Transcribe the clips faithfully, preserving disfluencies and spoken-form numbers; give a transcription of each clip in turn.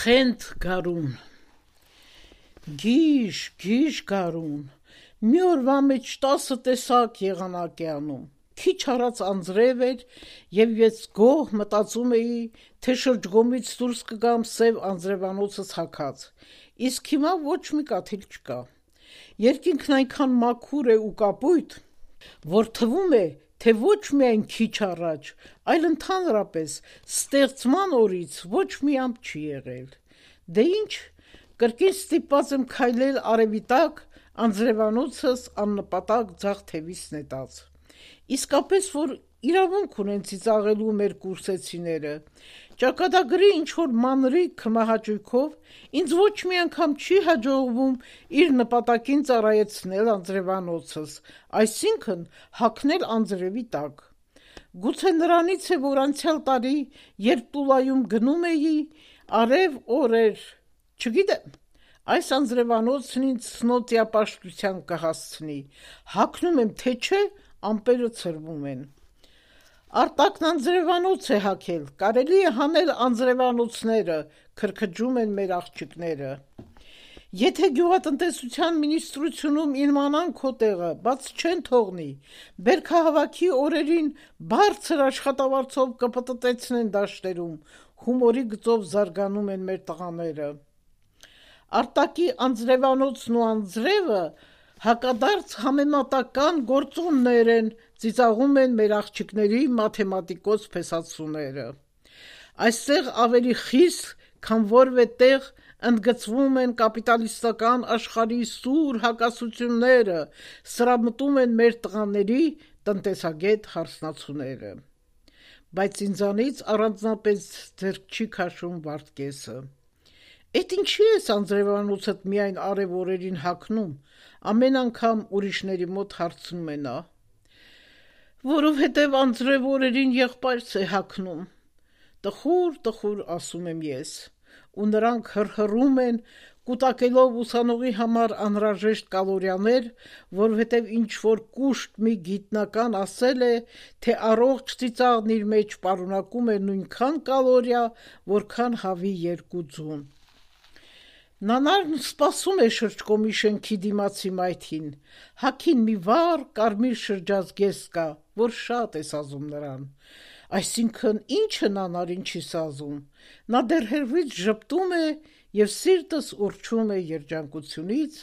Խենթ գարուն Գիշ, գիշ գարուն մի օրվա մեջ տասը տեսակ եղանակ է անում Քիչ առած անձրև էր եւ ես գոհ մտածում էի թե շրջգոմից դուրս կգամ սև անձրևանոցս հագած իսկ հիմա ոչ մի կաթիլ չկա Երկինքն այնքան մաքուր է ու կապույտ որ թվում է թե ոչ միայն քիչ առաջ, այլ ընդհանրապես ստեղծման օրից ոչ մի ամպ չի եղել։ Դե ինչ, կրկին ստիպված եմ քայլել արևի տակ, անձրևանոցս աննպատակ ձախ թևիս նետած։ Իսկապես որ իրավունք ունեն ծիծաղելու մեր կուրսեցիները։ Ճակատագրի ինչ-որ մանրիկ քմահաճույքով ինձ ոչ մի անգամ չի հաջողվում իր նպատակին ծառայեցնել անձրևանոցս, այսինքն հագնել անձրևի տակ։ Գուցե նրանից է, որ անցյալ տարի, երբ Տուլայում գնում էի, արև օր էր, չգիտեմ, այս անձրևանոցն ինձ ցնոտիապաշտության կհասցնի, հագնում եմ թե չէ, ամպերը ցրվում են։ Արտակն անձրևանոց է հագել, կարելի է հանել անձրևանոցները, քրքջում են մեր աղջիկները։ Եթե գյուղատնտեսության մինիստրությունում իմանան քո տեղը, բաց չեն թողնի, բերքահավաքի օրերին բարձր աշխատավարձով կպտտեցնեն դաշտերում, հումորի գծով զարգանում են մեր տղաները։ Արտակի անձրևանոցն ու անձրևը հակադարձ համեմատական գործոններ են, ծիծաղում են մեր աղջիկների մաթեմատիկոս փեսացուները։ Այստեղ ավելի խիստ, քան որևէ տեղ ընդգծվում են կապիտալիստական աշխարհի սուր հակասությունները, սրամտում են մեր տղաների տնտեսագետ հարսնացուները։ Բայց ինձանից առանձնապես ձեռք չի քաշում Վարդգեսը։ Էդ ինչի ես անձրևանոցդ միայն արև օրերին հագնում, ամեն անգամ ուրիշների մոտ հարցնում է նա։ Որովհետև անձրև օրերին եղբայրս է հագնում։ Տխուր, տխուր ասում եմ ես, ու նրանք հռհռում են, կուտակելով ուսանողի համար անհրաժեշտ կալորիաներ, որովհետև ինչ-որ կուշտ մի գիտնական ասել է, թե առողջ ծիծաղն իր մեջ պարունակում է նույնքան կալորիա, որքան հավի երկու ձուն։ Նանարն սպասում է շրջկոմի շենքի դիմացի մայթին, հագին մի վառ կարմիր շրջազգեստ կա, որ շատ է սազում նրան, այսինքն ինչը նանարին չի սազում, նա դեռ հեռվից ժպտում է և սիրտս ուռչում է երջանկությունից,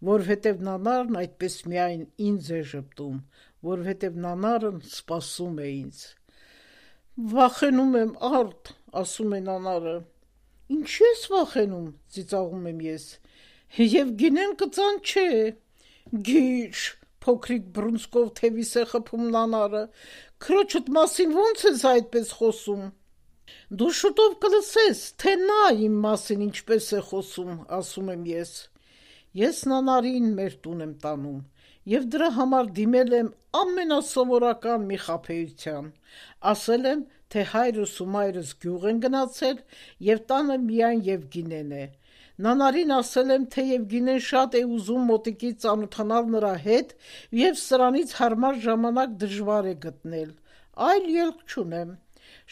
որովհետև նանարն այդպես միայն ինձ է ժպտում, որովհետև նանարն սպասում է ինձ։ Վախենում եմ Արդ, ասում է նանարը։ Ինչի ես վախենում, ծիծաղում եմ ես, և գինեն կծան չէ, գիշ, փոքրիկ բռունցքով թևիս է խփում նանարը, քրոջդ մասին ոնց ես այդպես խոսում։ Դու շուտով կլսես, թե նա իմ մասին ինչպես է խոսում, ասում եմ ես։ Ես նանարին մեր տուն եմ տանում, և դրա համար դիմել եմ ամենասովորական մի խաբեության, ասել եմ, թե հայրս ու մայրս գյուղ են գնացել և տանը միայն Եվգինեն է։ Նանարին ասել եմ, թե Եվգինեն շատ է ուզում մոտիկից ծանոթանալ նրա հետ և սրանից հարմար ժամանակ դժվար է գտնել, այլ ելք չունեմ։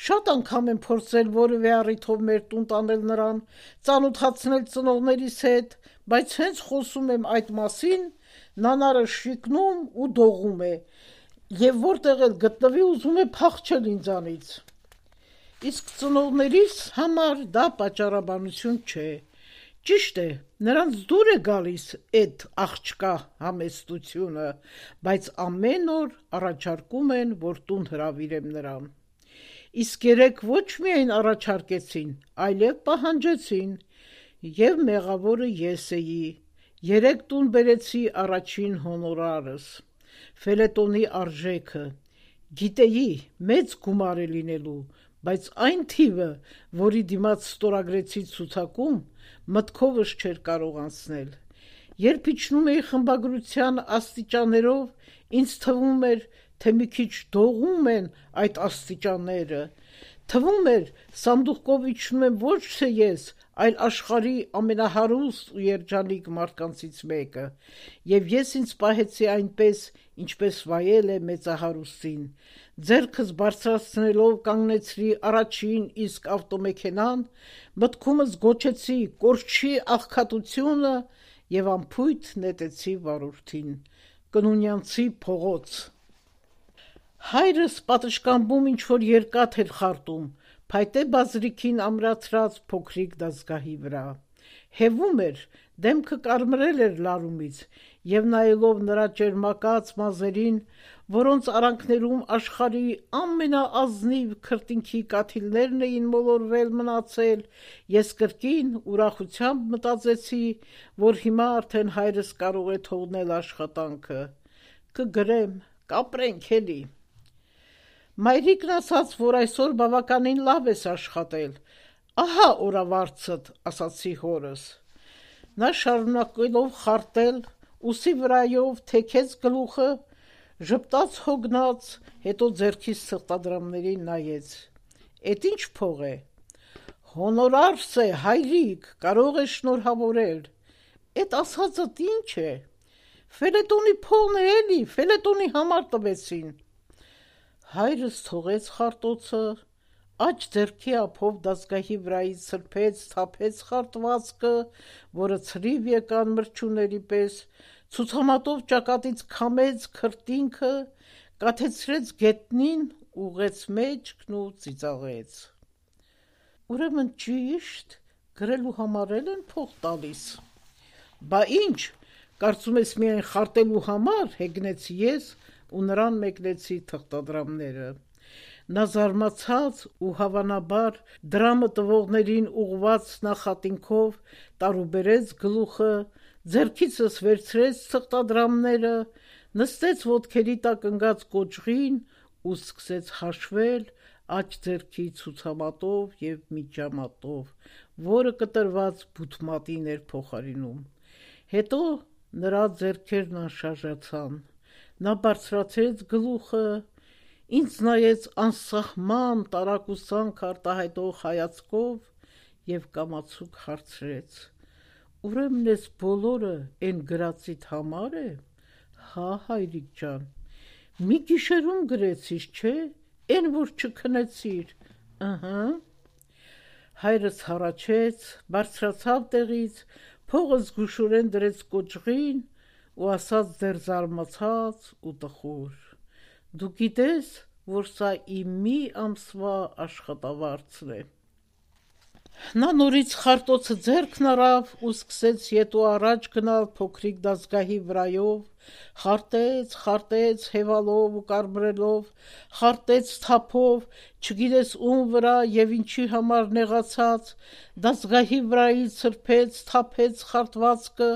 Շատ անգամ եմ փորձել որևէ առիթով մեր տուն տանել նրան, ծանոթացնել ծնողներիս հետ, բայց հենց խոսում եմ այդ մասին, նանարը շիկնում ու դողում է, և որտեղ էլ գտնվի ուզում է փախչել ինձանից։ Իսկ ծնողներիս համար դա պատճառաբանություն չէ։ Ճիշտ է, նրանց դուր է գալիս էդ աղջկա համեստությունը, բայց ամեն օր առաջարկում են, որ տուն հրավիրեմ նրան։ Իսկ երեկ ոչ միայն առաջարկեցին, այլև պահանջեցին, և մեղավորը ես էի, երեկ տուն բերեցի առաջին հոնորարս, ֆելետոնի արժեքը, գիտեի, մեծ գումար է լինելու, բայց այն թիվը, որի դիմաց ստորագրեցի ցուցակում, մտքովս չէր կարող անցնել։ Երբ իջնում էի խմբագրության աստիճաններով, ինձ թվում էր, թե մի քիչ դողում են այդ աստիճանները, Թվում էր, սանդուղքով իջնում եմ ոչ թե ես, այլ աշխարհի ամենահարուստ ու երջանիկ մարդկանցից մեկը, եւ ես ինձ պահեցի այնպես, ինչպես վայել է մեծահարուստին, ձեռքս բարձրացնելով կանգնեցրի առաջին իսկ ավտոմեքենան, մտքումս գոչեցի կորչի աղքատությունը եւ անփույթ նետեցի վարորդին, կնունյանցի փողոց։ Հայրս պատշգամբում ինչ-որ երկաթ էր խարտում, փայտե բազրիքին ամրացրած փոքրիկ դազգահի վրա։ Հևում էր, դեմքը կարմրել էր լարումից, եւ նայելով նրա ճերմակած մազերին, որոնց արանքներում աշխարհի ամենաազնիվ քրտինքի կաթիլներն էին մոլորվել մնացել, ես կրկին ուրախությամբ մտածեցի, որ հիմա արդեն հայրս կարող է թողնել աշխատանքը, կգրեմ, կապրենք էլի։ Մայրիկն ասաց, որ այսօր բավականին լավ ես աշխատել, ահա օրավարձդ, ասացի հորս։ Նա շարունակելով խարտել, ուսի վրայով թեքեց գլուխը, ժպտաց հոգնած, հետո ձեռքից սրտադրամներին նայեց։ Էդ ինչ փող է։ Հոնորարս է, հայրիկ, կարող է շնորհավորել։ Էդ ասածդ ինչ է։ Ֆելետոնի փողն է էլի, ֆելետոնի համար տվեցին։ Հայրս թողեց խարտոցը, աջ ձեռքի ափով դազգահի վրայից սրբեց, թափեց խարտվածքը, որը ցրիվ եկան մրջուների պես, ցուցամատով ճակատից քամեց քրտինքը, կաթեցրեց գետնին, ուղեց մեջքն ու ծիծաղեց։ Ուրեմն ճիշտ, գրելու համար էլ են փող տալիս։ Բա ինչ, կարծում ես միայն խարտելու համար, հեգնեցի ես ու նրան մեկնեցի թղթադրամները։ Նա զարմացած ու հավանաբար դրամը տվողներին ուղված նախատինքով տարուբերեց գլուխը, ձեռքիցս վերցրեց թղթադրամները, նստեց ոտքերի տակ ընկած կոճղին ու սկսեց հաշվել աջ ձեռքի ցուցամատով եւ միջամատով, որը կտրված բութմատին էր փոխարինում։ Հետո նրա ձեռքերն անշարժացան։ Նա բարձրացրեց գլուխը, ինձ նայեց անսահման տարակուսանք արտահայտող հայացքով եւ կամացուկ հարցրեց. Ուրեմն ես բոլորը էն գրածիդ համար է։ Հա, հայրիկ ջան, մի գիշերում գրեցիր, չէ՞, էն որ չքնեցիր։ Ըհը։ Հայրս հառաչեց, բարձրացավ տեղից, փողը զգուշորեն դրեց կոճղին ու ասաց դեռ զարմացած ու տխուր. Դու գիտես, որ սա իմ մի ամսվա աշխատավարձն է։ Նա նորից խարտոցը ձեռքն առավ ու սկսեց ետու առաջ գնալ փոքրիկ դազգահի վրայով, խարտեց, խարտեց հևալով ու կարմրելով, խարտեց թափով, չգիտես ում վրա եւ ինչի համար նեղացած, դազգահի վրայից սրբեց, թափեց խարտվածքը,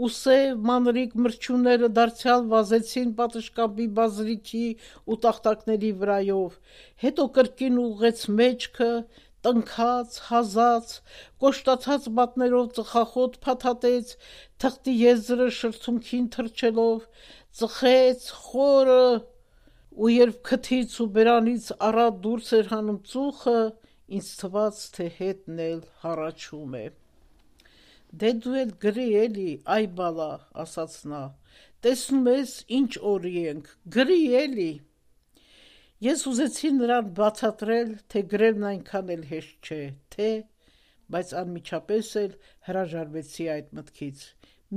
ու սև մանրիկ մրջունները դարձյալ վազեցին պատշգամբի բազրիքի ու տախտակների վրայով, հետո կրկին ուղղեց մեջքը, տնքաց, հազաց, կոշտացած մատներով ծխախոտ փաթաթեց, թղթի եզրը շրթունքին թռչելով, ծխեց խորը, ու երբ քթից ու բերանից առատ դուրս էր հանում ծուխը, ինձ թվաց, թե հետն էլ հառաչում է։ Դե դու էլ գրի էլի, այ բալա, ասաց նա, տեսնում ես ինչ օրի ենք, գրի էլի։ Ես ուզեցի նրան բացատրել, թե գրելն այնքան էլ հեշտ չէ, թե, բայց անմիջապես էլ հրաժարվեցի այդ մտքից։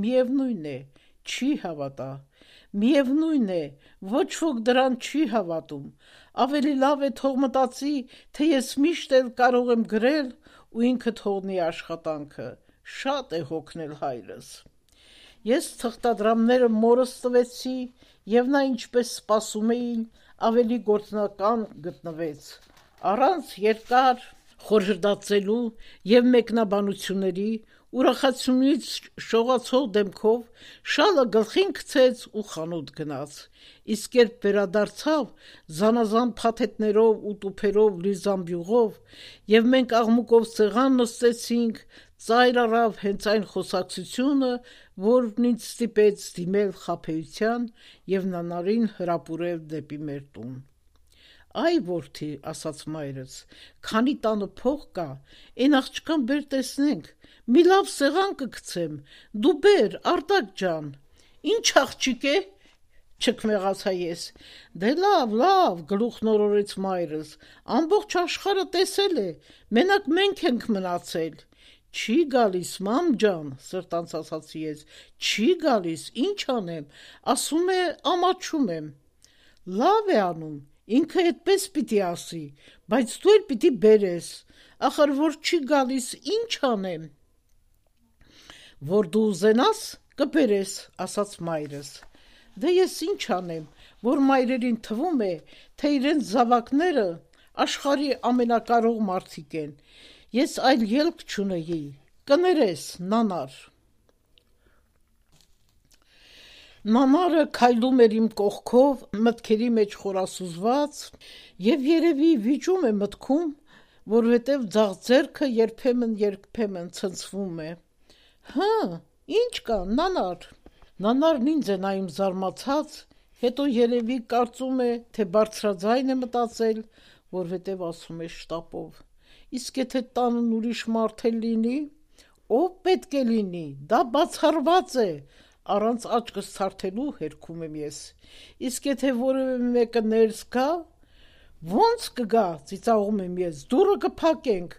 Միևնույն է, չի հավատա, միևնույն է, ոչ ոք դրան չի հավատում, ավելի լավ է թող մտածի, թե ես միշտ էլ կարող եմ գրել ու ինքը թողնի աշխատանքը, շատ է հոգնել հայրս։ Ես թղթադրամները մորս տվեցի եւ նա ինչպես սպասում էին, ավելի գործնական գտնվեց, առանց երկար խորհրդածելու եւ մեկնաբանությունների, ուրախացումից շողացող դեմքով շալը գլխին գցեց ու խանութ գնաց, իսկ երբ վերադարձավ զանազան փաթեթներով ու տուփերով լի զամբյուղով եւ մենք աղմուկով սեղան նստեցինք, ծայր առավ հենց այն խոսակցությունը, որն ինձ ստիպեց դիմել խաբեության եւ նանարին հրապուրել դեպի մեր տուն։ Այ որդի, ասաց մայրս, քանի տանը փող կա, այն աղջկան բեր տեսնենք, մի լավ սեղան կգցեմ, դու բեր, Արտակ ջան։ Ինչ աղջիկ է, չքմեղացա ես։ Դե լավ, լավ, գլուխն օրորեց մայրս, ամբողջ աշխարհը տեսել է, մենակ մենք ենք մնացել։ Չի գալիս, մամ ջան, սրտանց ասացի ես, չի գալիս, ինչ անեմ, ասում է ամաչում եմ։ Լավ է անում, ինքը այդպես պիտի ասի, բայց դու էլ պիտի բերես, ախր որ չի գալիս, ինչ անեմ։ Որ դու ուզենաս, կբերես, ասաց մայրս։ Դե ես ինչ անեմ, որ մայրերին թվում է, թե իրենց զավակները աշխարհի ամենակարող մարդիկ են։ Ես այլ ելք չունեի, կներես, նանար։ Նանարը քայլում էր իմ կողքով, մտքերի մեջ խորասուզված, եւ երևի վիճում է մտքում, որովհետեւ ձախ ձեռքը երբեմն երբեմն ցնցվում է։ Հա, ինչ կա, նանար։ Նանարն ինձ է նայում զարմացած, հետո երևի կարծում է, թե բարձրաձայն է մտածել, որովհետև ասում է շտապով. Իսկ եթե տանն ուրիշ մարդ էլ լինի, ով պետք է լինի, դա բացառված է, առանց աչքս ցարթելու հերքում եմ ես։ Իսկ եթե որևէ մեկը ներս գա, ո՞նց կգա, ծիծաղում եմ ես, դուռը կփակենք,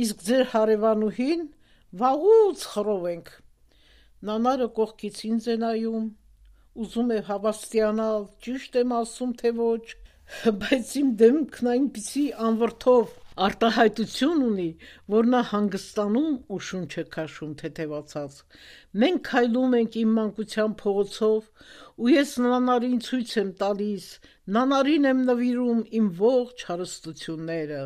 իսկ ձեր հարևանուհին վաղուց խռովենք։ Նանարը կողքից ինձ է նայում, ուզում է հավաստիանալ, ճիշտ եմ ասում, թե ոչ, բայց իմ դեմքն այնպիսի անվրդով արտահայտություն ունի, որ նա հանգստանում ու շունչ է քաշում թեթևացած։ Մենք քայլում ենք իմ մանկության փողոցով, ու ես նանարին ցույց եմ տալիս, նանարին եմ նվիրում իմ ողջ հարստությունները։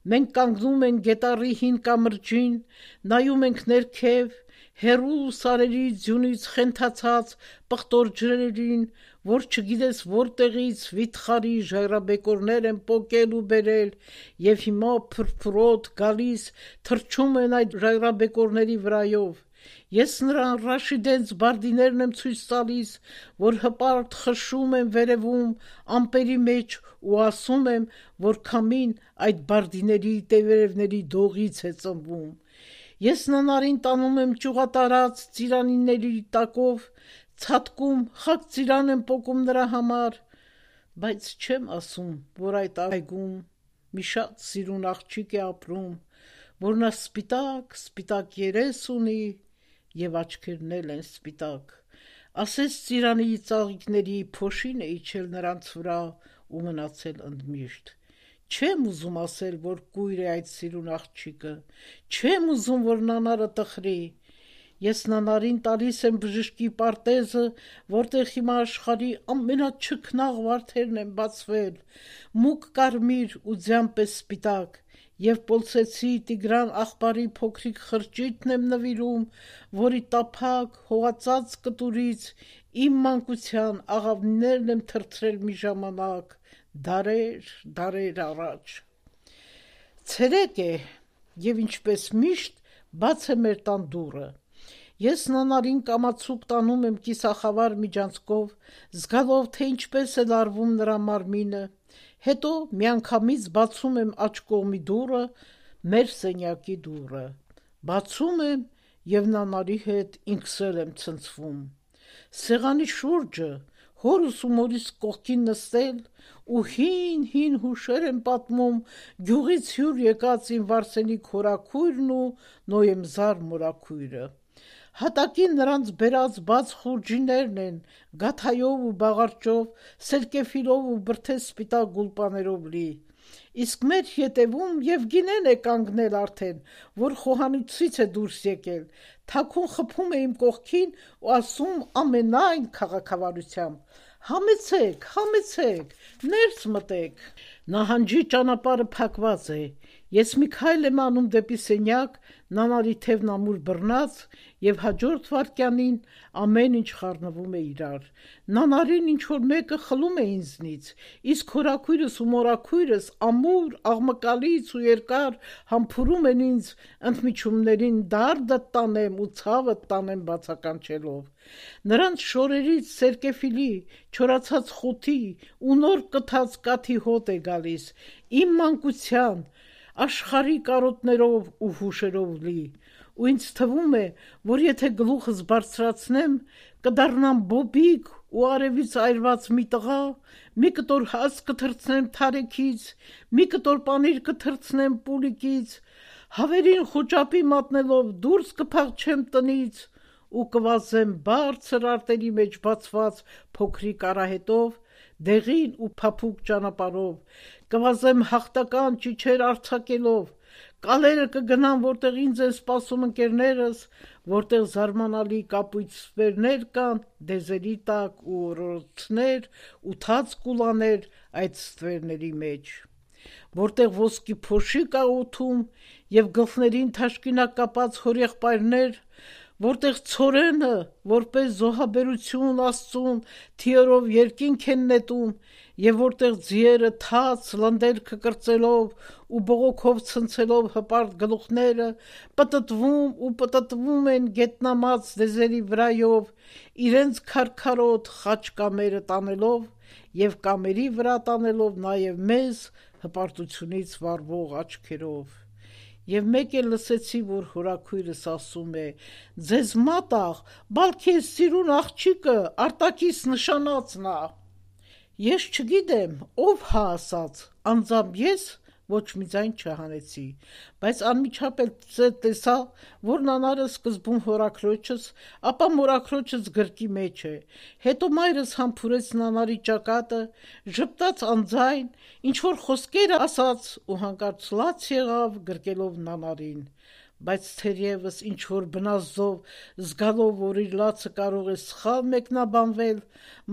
Մենք կանգնում ենք գետառի հին կամրջին, նայում ենք ներքև, հեռու սարերի ձյունից խենթացած պղտոր ջրերին, որ չգիտես որտեղից վիթխարի ժայռաբեկորներ են պոկել ու բերել, եւ հիմա փրփրոտ գալիս թռչում են այդ ժայռաբեկորների վրայով։ Ես նրան Ռաշիդենց բարդիներն եմ ցույց տալիս, որ հպարտ խշշում են վերևում ամպերի մեջ ու ասում եմ, որ քամին այդ բարդիների տերևների դողից է ծնվում։ Ես նանարին տանում եմ ճյուղատարած ծիրանիների տակով, ցատկում, խաք ծիրան եմ պոկում նրա համար, բայց չեմ ասում, որ այդ այգում մի շատ սիրուն աղջիկ է ապրում, որ նա սպիտակ, սպիտակ երես ունի եւ աչքերն էլ են սպիտակ։ Ասես ծիրանի ծաղիկների փոշին է իջել նրանց վրա ու մնացել ընդմիշտ։ Չեմ ուզում ասել, որ կույր է այդ սիրուն աղջիկը, չեմ ուզում, որ նանարը տխրի։ Ես նանարին տալիս եմ բժշկի պարտեզը, որտեղ հիմա աշխարհի ամենաչքնաղ վարդերն են բացվել, մուգ կարմիր ու ձյան պես սպիտակ, եւ Պոլսեցի Տիգրան աղբարի փոքրիկ խրճիթն եմ նվիրում, որի տափակ հողածած կտուրից իմ մանկության աղավնիներն եմ թրթրել մի ժամանակ, դարեր, դարեր առաջ։ Ցերեկ է, եւ ինչպես միշտ բաց է մեր տան դուռը։ Ես նանարին կամացուկ տանում եմ կիսախավար միջանցքով, զգալով, թե ինչպես է լարվում նրա մարմինը, հետո միանգամից բացում եմ աջ կողմի դուռը, մեր սենյակի դուռը։ Բացում եմ եւ նանարի հետ ինքս էլ եմ ցնցվում։ Սեղանի շուրջը հորս ու մորիս կողքին նստել ու հին-հին հուշեր եմ պատմում գյուղից հյուր եկած իմ Վարսենի քորաքույրն ու Նոյեմզար մորաքույրը։ Հատակին նրանց բերած բաց խուրջիներն են, գաթայով ու բաղարջով, սերկեֆիլով ու բրդե սպիտակ գուլպաներով լի։ Իսկ մեր ետևում Եվգինեն է կանգնել արդեն, որ խոհանոցից է դուրս եկել, թաքուն խփում է իմ կողքին ու ասում ամենայն քաղաքավարությամբ. «Համեցեք, համեցեք, ներս մտեք»։ Նահանջի ճանապարհը փակված է, Ես մի քայլ եմ անում դեպի սենյակ, նանարի թևն ամուր բռնած, եւ հաջորդ վայրկյանին ամեն ինչ խառնվում է իրար։ Նանարին ինչ-որ մեկը խլում է ինձնից, իսկ հորաքույրս ու մորաքույրս ամուր, աղմկալից ու երկար համբուրում են ինձ ընդմիջումներին դարդը տանեմ ու ցավը տանեմ բացականչելով։ Նրանց շորերից սերկեֆիլի, չորացած խութի ու նոր կթած կաթի հոտ է գալիս, իմ մանկության, աշխարհի կարոտներով ու հուշերով լի, ու ինձ թվում է, որ եթե գլուխս բարձրացնեմ, կդառնամ բոբիկ ու արևից այրված մի տղա, մի կտոր հաց կթռցնեմ թարեքից, մի կտոր պանիր կթռցնեմ պուլիկից, հավերին խոճապի մատնելով դուրս կփախչեմ տնից ու կվազեմ բարձր արտերի մեջ բացված փոքրիկ արահետով, դեղին ու փափուկ ճանապարհով, կվազեմ հաղթական ճիչեր արձակելով, կալերը կգնան, որտեղ ինձ են սպասում ընկերներս, որտեղ զարմանալի կապույտ ստվերներ կան, դեզերի տակ ու օրորոցներ ու թաց կուլաներ այդ ստվերների մեջ, որտեղ ոսկի փոշի կա օդում եւ գլխներին թաշկինակ կապած հորեղբայրներ, որտեղ ցորենը, որպես զոհաբերություն Աստծուն, թիորով երկինք են նետում, եւ որտեղ ձիերը թաց լնդելքը կրծելով ու բողոքով ցնցելով հպարտ գլուխները պտտվում ու պտտվում են գետնամած դեզերի վրայով, իրենց քարքարոտ խաչ կամերը տանելով եւ կամերի վրա տանելով նաեւ մեզ հպարտությունից վառվող աչքերով։ Եվ մեկ էլ լսեցի, որ հորաքույրս ասում է. «Ձեզ մատաղ, բալքի ես սիրուն աղջիկը, արտակից նշանածն ա»։ Ես չգիտեմ, ով հա ասաց, անձամբ ես ոչ մի ձայն չհանեցի, բայց անմիջապես տեսա, որ նանարը սկզբում հորաքրոջս, ապա մորաքրոջս գրկի մեջ է, հետո մայրս համբուրեց նանարի ճակատը, ժպտաց անձայն, ինչ-որ խոսքեր ասաց ու հանկարծ լաց եղավ գրկելով նանարին, բայց թերևս ինչ-որ բնազդով զգալով, որ իր լացը կարող է սխալ մեկնաբանվել,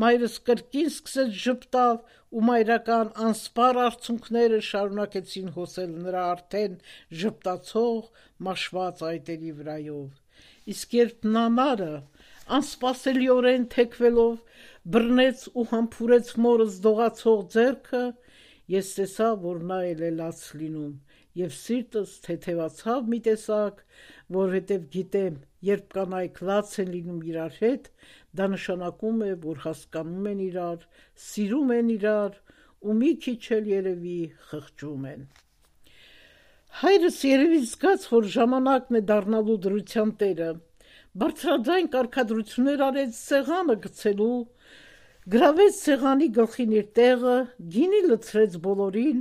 մայրս կրկին սկսեց ժպտալ ու մայրական անսպառ արցունքները շարունակեցին հոսել նրա արդեն ժպտացող մաշված այտերի վրայով, իսկ երբ նանարը անսպասելիորեն թեքվելով բռնեց ու համբուրեց մորս դողացող ձեռքը, ես տեսա, որ նա էլ է լաց լինում, եւ սիրտս թեթևացավ մի տեսակ, որովհետեւ գիտեմ, երբ կանայք լաց են լինում իրար հետ, դա նշանակում է, որ հասկանում են իրար, սիրում են իրար ու մի քիչ էլ երևի խղճում են։ Հայրս երևի զգաց, որ ժամանակն է դառնալու դրության տերը, բարձրաձայն կարգադրություններ արեց սեղանը գցելու, գրավեց սեղանի գլխին իր տեղը, գինի լցրեց բոլորին,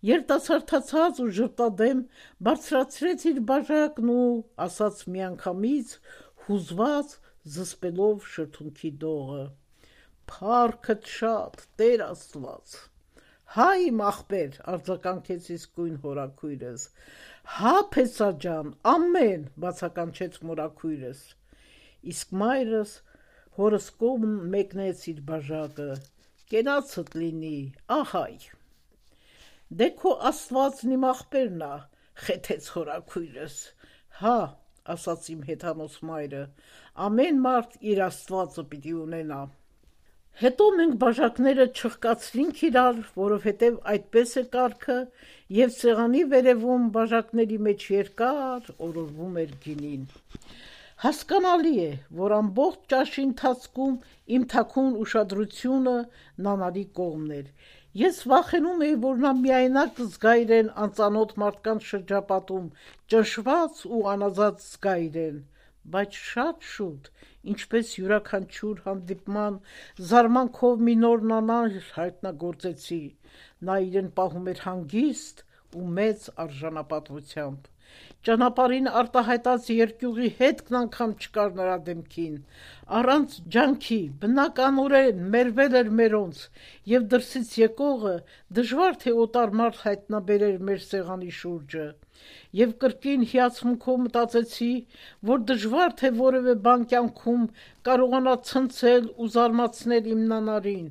երիտասարդացած ու ժպտադեմ բարձրացրեց իր բաժակն ու ասաց միանգամից, հուզված, զսպելով շրթունքի դողը. «Փառքդ շատ, Տեր Աստված»։ «Հա իմ ախպեր», արձագանքեց իսկույն հորաքույրս։ «Հա փեսա ջան, ամեն», բացականչեց մորաքույրս, իսկ մայրս հորս կողմ մեկնեց իր բաժակը. «Կենացդ լինի, ահայ»։ «Դե քո Աստվածն իմ ախպերն ա», խեթեց հորաքույրս։ «Հա», ասաց իմ հեթանոս մայրը, «ամեն մարդ իր Աստվածը պիտի ունենա»։ Հետո մենք բաժակները չխկացրինք իրար, որովհետև այդպես է կարգը, եւ սեղանի վերևում բաժակների մեջ երկար օրորվում էր գինին։ Հասկանալի է, որ ամբողջ ճաշի ընթացքում իմ թաքուն ուշադրությունը նանարի կողմն էր։ Ես վախենում էի, որ նա միայնակ զգա իրեն անծանոթ մարդկանց շրջապատում, ճնշված ու անազատ զգա իրեն, բայց շատ շուտ, ինչպես յուրաքանչյուր հանդիպման զարմանքով մի նոր նանար հայտնագործեցի, նա իրեն պահում էր հանգիստ ու մեծ արժանապատվությամբ։ Ճանապարհին արտահայտած երկյուղի հետքն անգամ չկար նրա դեմքին, առանց ջանքի, բնականորեն մերվել էր մերոնց, եւ դրսից եկողը դժվար թե օտար մարդ հայտնաբերեր մեր սեղանի շուրջը, եւ կրկին հիացմունքով մտածեցի, որ դժվար թե որևէ բան կյանքում կարողանա ցնցել ու զարմացնել իմ նանարին,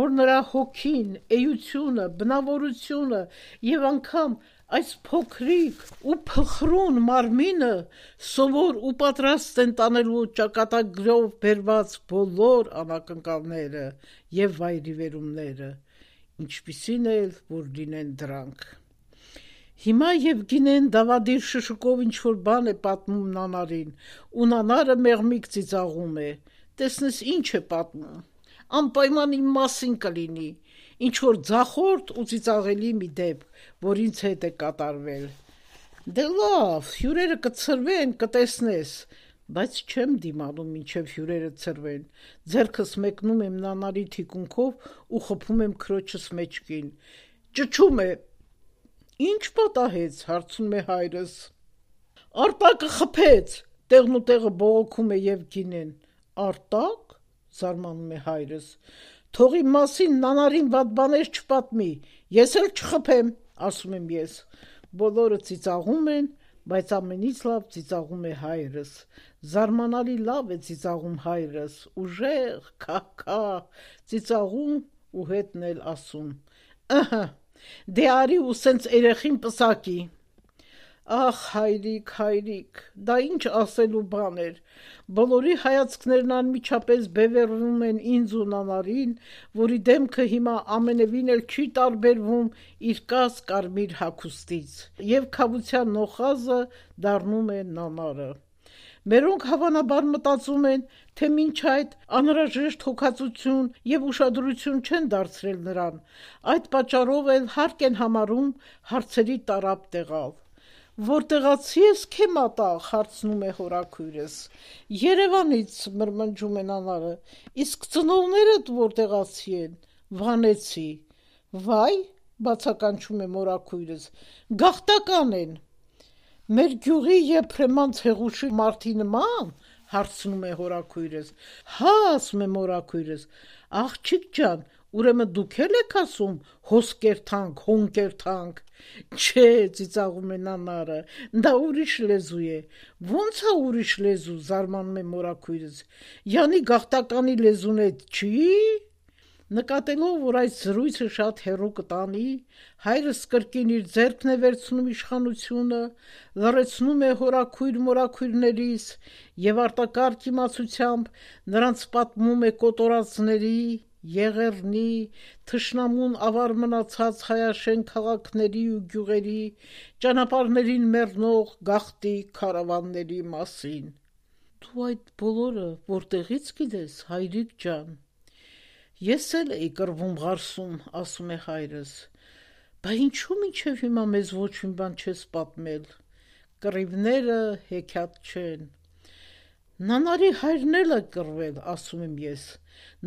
որ նրա հոգին, էությունը, բնավորությունը եւ անգամ այս փոքրիկ ու փխրուն մարմինը սովոր ու պատրաստ են տանելու ճակատագրով բերված բոլոր անակնկալները եւ վայրիվերումները, ինչպիսին էլ որ լինեն դրանք։ Հիմա Եվգինեն դավադիր շշուկով ինչ-որ բան է պատմում Նանարին, ու Նանարը մեղմիկ ծիծաղում է, տեսնես ինչ է պատմում, անպայման իմ մասին կլինի, ինչ-որ ձախորդ ու ծիծաղելի մի դեպք, որ ինձ հետ է կատարվել։ Դե լավ, հյուրերը կցրվեն, կտեսնես, բայց չեմ դիմանում մինչև հյուրերը ցրվեն, ձեռքս մեկնում եմ Նանարի թիկունքով ու խփում եմ քրոջս մեջքին, ճչում է, ինչ պատահեց, հարցնում է հայրս։ Արտակը խփեց, տեղն ու տեղը բողոքում է Եվգինեն։ Արտակ, զարմանում է հայրս, թող իմ մասին Նանարին վատ բաներ չպատմի, ես էլ չխփեմ, ասում եմ ես։ Բոլորը ծիծաղում են, բայց ամենից լավ ծիծաղում է հայրս, զարմանալի լավ է ծիծաղում հայրս, ուժեղ, քահ-քահ, ծիծաղում ու հետն էլ ասում. ըհը, դե արի ու սենց երեխին պսակի։ Ախ, հայրիկ, հայրիկ, դա ինչ ասելու բան էր, բոլորի հայացքներն անմիջապես բևեռվում են ինձ ու Նանարին, որի դեմքը հիմա ամենևին էլ չի տարբերվում իր կաս կարմիր հագուստից, եւ քավության նոխազը դառնում է Նանարը։ Մերոնք հավանաբար մտածում են, թե մինչ այդ անհրաժեշտ հոգածություն եւ ուշադրություն չեն դարձրել նրան, այդ պատճառով էլ հարկ են համարում հարցերի տարապ տեղալ։ Որտեղացի ես քե մատաղ, հարցնում է հորաքույրս։ Երևանից, մրմնջում է Նանարը, իսկ ծնողներդ որտեղացի են, Վանեցի։ Վայ, բացականչում է մորաքույրս, գաղթական են։ Մեր գյուղի Եփրեման Ցեղուշի մարդի նման, հարցնում է հորաքույրս։ Հա, ասում է մորաքույրս, աղջիկ ջան, ուրեմն դուք էլ եք ասում հոս կերթանք, հոն կերթանք։ Չէ, ծիծաղում է Նանարը, դա ուրիշ լեզու է։ Ոնց է ուրիշ լեզու, զարմանում է մորաքույրս։ Յանի գաղթականի լեզուն է չի։ Նկատելով, որ այս զրույցը շատ հեռու կտանի, հայրս կրկին իր ձեռքն է վերցնում իշխանությունը, լռեցնում է հորաքույր մորաքույրներիս եւ արտակարգ իմացությամբ նրանց պատմում է կոտորածների, Եղեռնի, թշնամուն ավար մնացած հայաշեն քաղաքների ու գյուղերի, ճանապարհներին մեռնող գաղթի քարավանների մասին։ Դու այդ բոլորը որտեղից գիտես, հայրիկ ջան։ Ես էլ էի կռվում Ղարսում, ասում է հայրս, բա ինչու մինչև հիմա մեզ ոչ մի բան չես պատմել, կռիվները հեքիաթ չեն։ Նանարի հայրն էլ է կռվել, ասում եմ ես,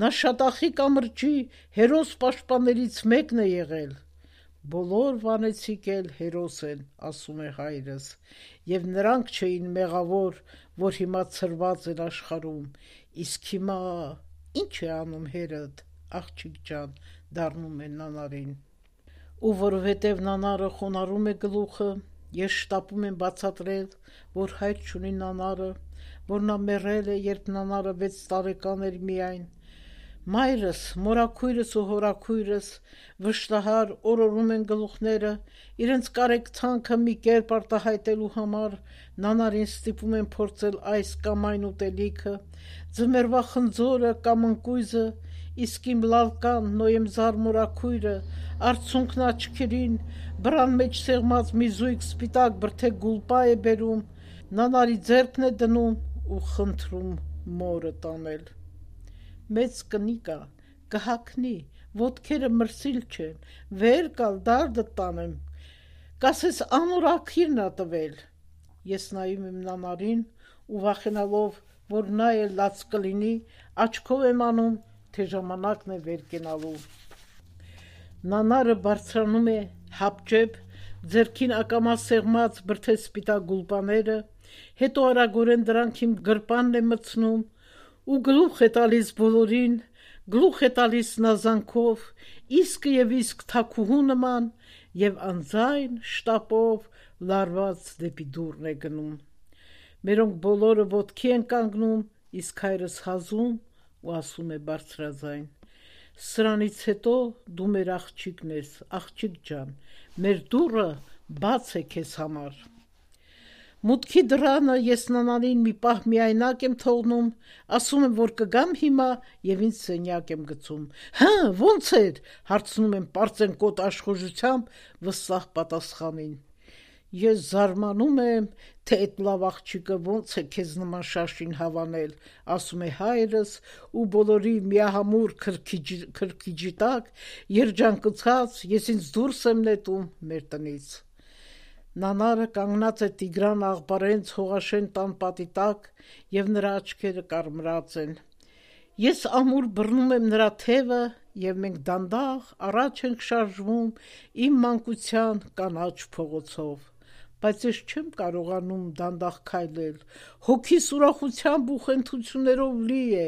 նա Շատախի կամրջի հերոս պաշտպաններից մեկն է եղել։ Բոլոր վանեցիք էլ հերոս են, ասում է հայրս, եւ նրանք չէին մեղավոր, որ հիմա ցրված են աշխարհում, իսկ հիմա ինչ է անում հերդ, աղջիկ ջան, դառնում է Նանարին։ Ու որովհետև Նանարը խոնարհում է գլուխը, ես շտապում եմ բացատրել, որ հայր չունի Նանարը, որ նա մեռել է, երբ Նանարը վեց տարեկան էր միայն։ Մայրս, մորաքույրս ու հորաքույրս վշտահար օրորում են գլուխները, իրենց կարեկցանքը մի կերպ արտահայտելու համար Նանարին ստիպում են փորձել այս կամ այն ուտելիքը, ձմեռվա խնձորը կամ ընկույզը, իսկ իմ լալկան Նոյեմզար մորաքույրը արցունքն աչքերին բռան մեջ սեղմած մի զույգ սպիտակ բրդե գուլպա է բերում, Նանարի ձեռքն է դնում ու խնդրում մորը տանել։ Մեծ կնիկա, կհակնի, ոտքերը մրսիլ չեն, վեր կալ դարդը տանեմ, կասես անորաքիրն ա տվել։ Ես նայում եմ Նանարին ու վախենալով, որ նա էլ լաց կլինի, աչքով եմ անում, թե ժամանակն է վեր կենալու։ Նանարը բարձրանում է հապճեպ, ձեռքին ակամա սեղմած բրդե սպիտակ գուլպաները, հետո արագորեն դրանք իմ գրպանն է մտցնում ու գլուխ է տալիս բոլորին, գլուխ է տալիս նազանքով, իսկը եւ իսկ թաքուհու նման եւ անձայն շտապով լարված դեպի դուռն է գնում։ Մերոնք բոլորը ոտքի են կանգնում, իսկ հայրս հազում ու ասում է բարձրաձայն. Սրանից հետո դու մեր աղջիկն ես, աղջիկ ջան, մեր դուռը բաց է քեզ համար։ Մուտքի դռանը ես Նանարին մի պահ միայնակ եմ թողնում, ասում եմ, որ կգամ հիմա եւ ինձ սենյակ եմ գցում։ Հը, ո՞նց էր, հարցնում եմ պարծենկոտ աշխուժությամբ վստահ պատասխանին։ Ես զարմանում եմ, թե այդ լավ աղջիկը ոնց է քեզ նման շաշին հավանել, ասում է հայրս ու բոլորի միահամուռ քրքիջի տակ երջանկացած ես ինձ դուրս եմ նետում մեր տնից։ Նանարը կանգնած է Տիգրան աղբարենց հողաշեն տան պատի տակ եւ նրա աչքերը կարմրած են։ Ես ամուր բռնում եմ նրա թևը եւ մենք դանդաղ առաջ ենք շարժվում իմ մանկության կանաչ փողոցով, բայց ես չեմ կարողանում դանդաղ քայլել, հոգիս ուրախությամբ ու խենթություններով լի է,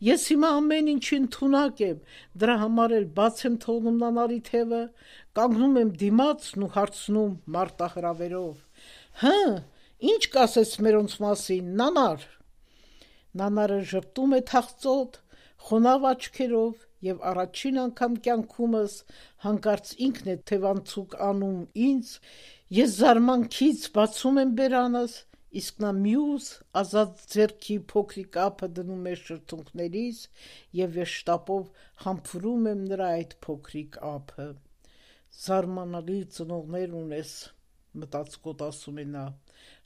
ես հիմա ամեն ինչի ընդունակ եմ, դրա համար էլ բաց եմ թողնում Նանարի թևը, կանգնում եմ դիմացն ու հարցնում մարտահրավերով. «Հը, ինչ կասես մերոնց մասին, Նանար»։ Նանարը ժպտում է թախծոտ, խոնավ աչքերով եւ առաջին անգամ կյանքումս հանկարծ ինքն է թևանցուկ անում ինձ, ես զարմանքից բացում եմ բերանս, իսկ նա մյուս ազատ ձեռքի փոքրիկ ափը դնում է շրթունքներիս եւ ես շտապով համբուրում եմ նրա այդ փոքրիկ ափը։ Զարմանալի ծնողներ ունես, մտածկոտ ասում է նա,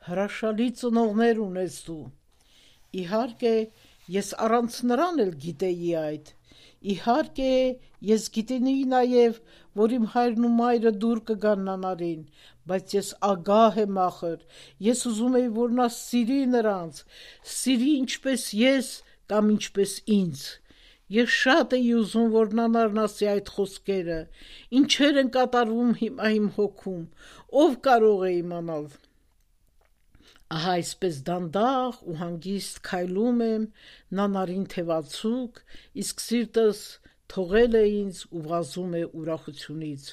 հրաշալի ծնողներ ունես դու։ Իհարկե, ես առանց նրան էլ գիտեի այդ։ Իհարկե, ես գիտեի նաև, որ իմ հայրն ու մայրը դուր կգան Նանարին, բայց ես ագահ եմ ախր, ես ուզում էի, որ նա սիրի նրանց, սիրի ինչպես ես կամ ինչպես ինձ։ Ես շատ էի ուզում, որ Նանարն ասի այդ խոսքերը, ինչեր են կատարվում հիմա իմ հոգում, ով կարող է իմանալ։ Ահա այսպես դանդաղ ու հանգիստ քայլում եմ Նանարին թևացուկ, իսկ սիրտս թողել է ինձ ու վազում է ուրախությունից,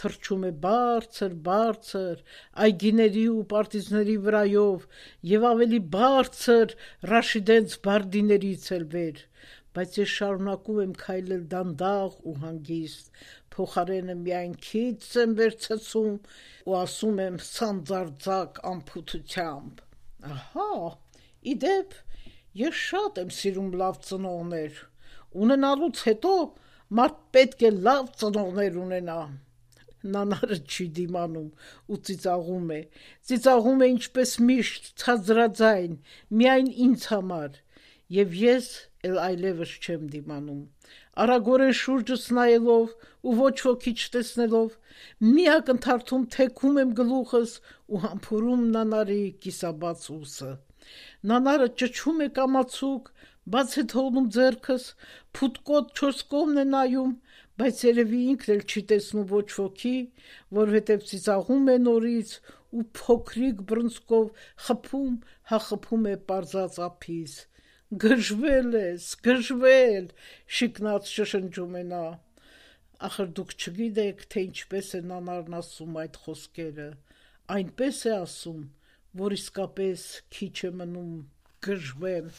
թռչում է բարձր, բարձր, այգիների ու պարտիզների վրայով եւ ավելի բարձր Ռաշիդենց բարդիներից էլ վեր, բայց ես շարունակում եմ քայլել դանդաղ ու հանգիստ, փոխարենը միայն քիծս եմ վերցեցում ու ասում եմ սանձարձակ անփութությամբ. ահա, իդեպ, ես շատ եմ սիրում լավ ծնողներ, ունենալուց հետո մարդ պետք է լավ ծնողներ ունենա։ Նանարը չի դիմանում ու ծիծաղում է, ծիծաղում է ինչպես միշտ, ցածրաձայն, միայն ինձ համար, եւ ես էլ այլևս չեմ դիմանում, արագորեն շուրջս նայելով ու ոչ ոքի չտեսնելով, մի ակնթարթում թեքում եմ գլուխս ու համբուրում Նանարի կիսաբաց ուսը։ Նանարը ճչում է կամացուկ, բաց է թողնում ձեռքս, փութկոտ չորս կողմն է նայում, բայց երևի ինքն էլ չի տեսնում ոչ ոքի, որովհետև ծիծաղում է նորից ու փոքրիկ բռնցքով խփում, հա խփում է պարզած ափիս։ Գժվել ես, գժվել, շիկնած շշնջում է նա։ Ախր դուք չգիտեք, թե ինչպես է Նանարն ասում այդ խոսքերը, այնպես է ասում, որ իսկապես քիչ է մնում գժվեմ։